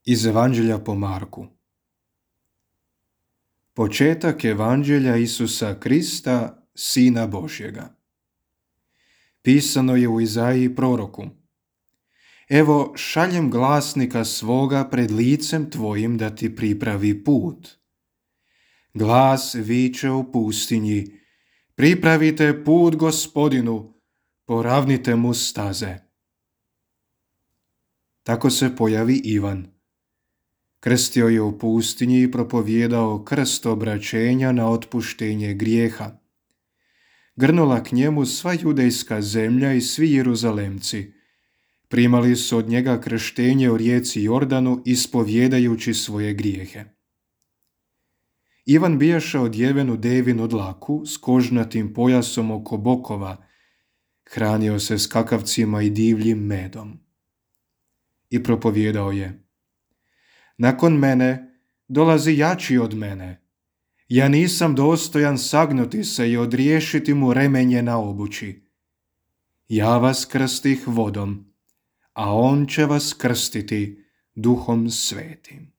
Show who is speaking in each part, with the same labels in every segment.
Speaker 1: Iz Evanđelja po Marku. Početak Evanđelja Isusa Krista, Sina Božjega. Pisano je u Izaiji proroku: Evo, šaljem glasnika svoga pred licem tvojim da ti pripravi put. Glas viče u pustinji: pripravite put Gospodinu, poravnite mu staze. Tako se pojavi Ivan. Krstio je u pustinji i propovijedao krst obraćenja na otpuštenje grijeha. Grnula k njemu sva judejska zemlja i svi Jeruzalemci. Primali su od njega krštenje u rijeci Jordanu, ispovjedajući svoje grijehe. Ivan bijaše odjeven u devinu dlaku s kožnatim pojasom oko bokova, hranio se skakavcima i divljim medom. I propovijedao je: nakon mene dolazi jači od mene. Ja nisam dostojan sagnuti se i odriješiti mu remenje na obući. Ja vas krstih vodom, a on će vas krstiti Duhom Svetim.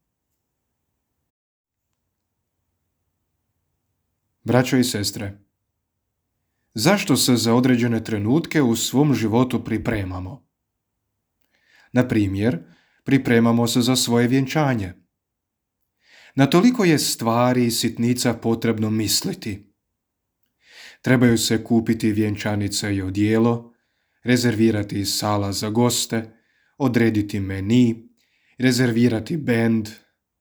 Speaker 1: Braćo i sestre, zašto se za određene trenutke u svom životu pripremamo? Na primjer, pripremamo se za svoje vjenčanje. Na toliko je stvari i sitnica potrebno misliti. Trebaju se kupiti vjenčanica i odijelo, rezervirati sala za goste, odrediti meni, rezervirati bend,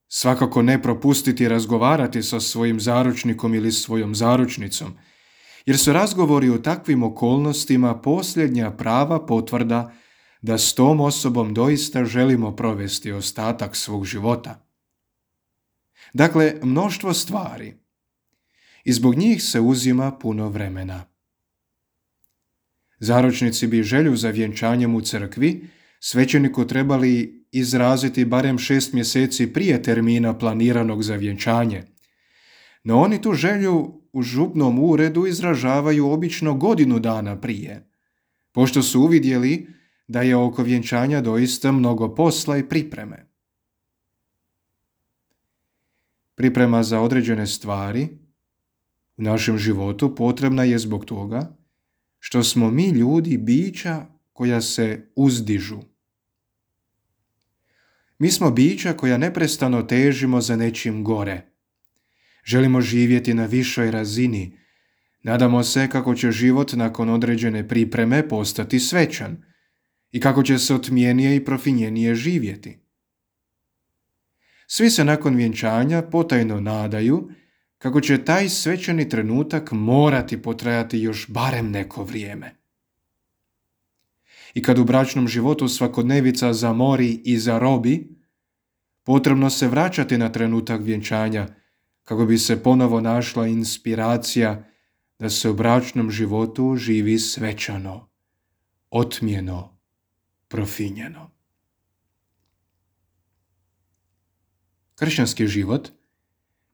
Speaker 1: svakako ne propustiti razgovarati sa svojim zaručnikom ili svojom zaručnicom, jer su razgovori u takvim okolnostima posljednja prava potvrda da s tom osobom doista želimo provesti ostatak svog života. Dakle, mnoštvo stvari. I zbog njih se uzima puno vremena. Zaručnici bi želju za vjenčanjem u crkvi svećeniku trebali izraziti barem 6 mjeseci prije termina planiranog za vjenčanje. No oni tu želju u župnom uredu izražavaju obično godinu dana prije, pošto su uvidjeli da je oko vjenčanja doista mnogo posla i pripreme. Priprema za određene stvari u našem životu potrebna je zbog toga što smo mi ljudi bića koja se uzdižu. Mi smo bića koja neprestano težimo za nečim gore. Želimo živjeti na višoj razini. Nadamo se kako će život nakon određene pripreme postati svečan i kako će se otmijenije i profinjenije živjeti. Svi se nakon vjenčanja potajno nadaju kako će taj svečani trenutak morati potrajati još barem neko vrijeme. I kad u bračnom životu svakodnevica zamori i zarobi, potrebno se vraćati na trenutak vjenčanja kako bi se ponovo našla inspiracija da se u bračnom životu živi svečano, otmjeno, profinjeno. Kršćanski život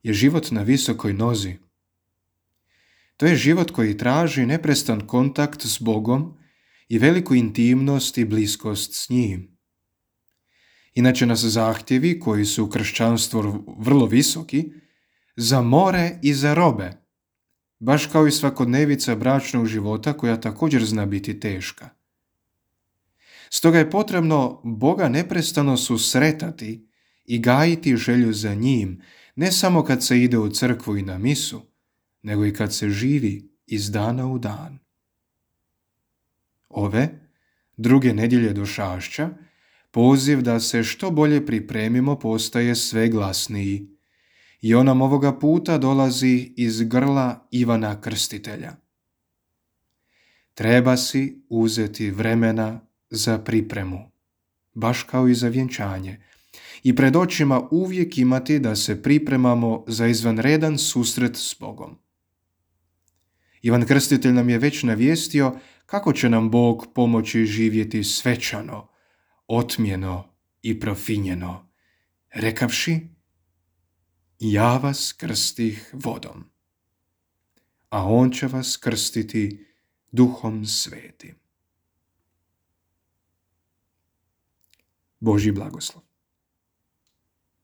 Speaker 1: je život na visokoj nozi. To je život koji traži neprestan kontakt s Bogom i veliku intimnost i bliskost s njim. Inače nas zahtjevi, koji su u kršćanstvu vrlo visoki, zamore i zarobe, baš kao i svakodnevica bračnog života koja također zna biti teška. Stoga je potrebno Boga neprestano susretati i gajiti želju za njim, ne samo kad se ide u crkvu i na misu, nego i kad se živi iz dana u dan. Ove, druge nedjelje došašća, poziv da se što bolje pripremimo postaje sve glasniji i on nam ovoga puta dolazi iz grla Ivana Krstitelja. Treba si uzeti vremena za pripremu, baš kao i za vjenčanje, i pred očima uvijek imati da se pripremamo za izvanredan susret s Bogom. Ivan Krstitelj nam je već navijestio kako će nam Bog pomoći živjeti svečano, otmjeno i profinjeno, rekavši: ja vas krstih vodom, a on će vas krstiti Duhom Svetim. Božji blagoslov.